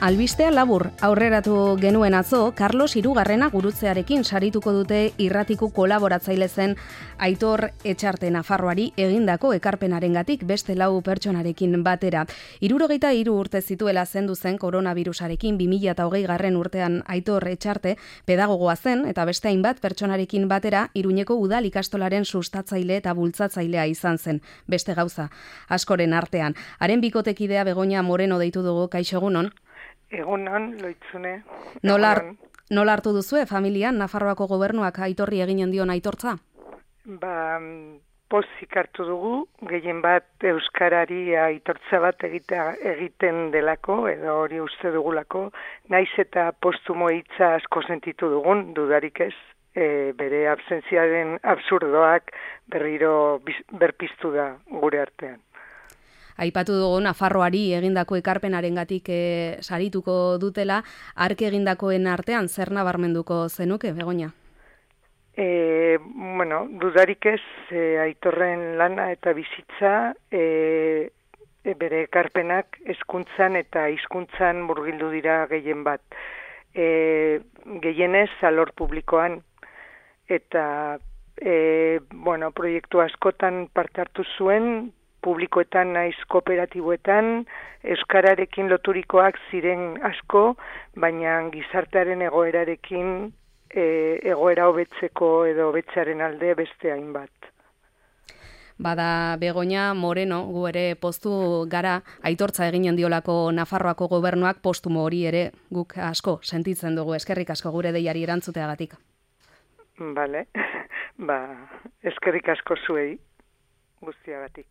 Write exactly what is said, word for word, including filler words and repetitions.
Albistea labur, aurreratu genuen atzo, Carlos Hirugarrena gurutzearekin sarituko dute irratiku kolaboratzaile zen Aitor Etxarte Nafarroari egindako ekarpenarengatik beste lau pertsonarekin batera. Hirurogeita hiru urte zituela zendu zen koronavirusarekin bi mila hogei garren urtean Aitor Etxarte pedagogoa zen eta beste hainbat pertsonarekin batera Iruñeko udal ikastolaren sustatzaile eta bultzatzailea izan zen, beste gauza askoren artean. Haren bikotekidea Begoña Moreno deitu dugu, kaixo egunon. Egunon, loitzune. Nola, nola hartu duzue, familian, Nafarroako gobernuak Aitorri eginen dion aitortza? Ba, pozik hartu dugu, gehien bat euskarari aitortza bat egita, egiten delako, edo hori uste dugulako, naiz eta postumo hitza asko sentitu dugun, dudarik ez, e, bere absentziaren absurdoak berriro biz, berpiztu da gure artean. Aipatu dugu Nafarroari egindako ekarpenarengatik e, sarituko dutela, hark egindakoen artean zer nabarmenduko zenuke, Begoña? E, bueno, dudarik ez, e, Aitorren lana eta bizitza, e, e, bere ekarpenak hezkuntzan eta hizkuntzan murgildu dira gehien bat. E, gehienez alor publikoan, eta e, bueno, proiektu askotan parte hartu zuen, publikoetan naiz kooperatiboetan, euskararekin loturikoak ziren asko, baina gizartearen egoerarekin e, egoera hobetzeko edo hobetzearen alde beste hainbat. Bada Begoña Moreno, gu ere postu gara, aitortza eginen diolako Nafarroako gobernuak postumo hori ere guk asko sentitzen dugu, eskerrik asko gure deiari erantzuteagatik. Bale, ba, eskerrik asko zuei guztiagatik.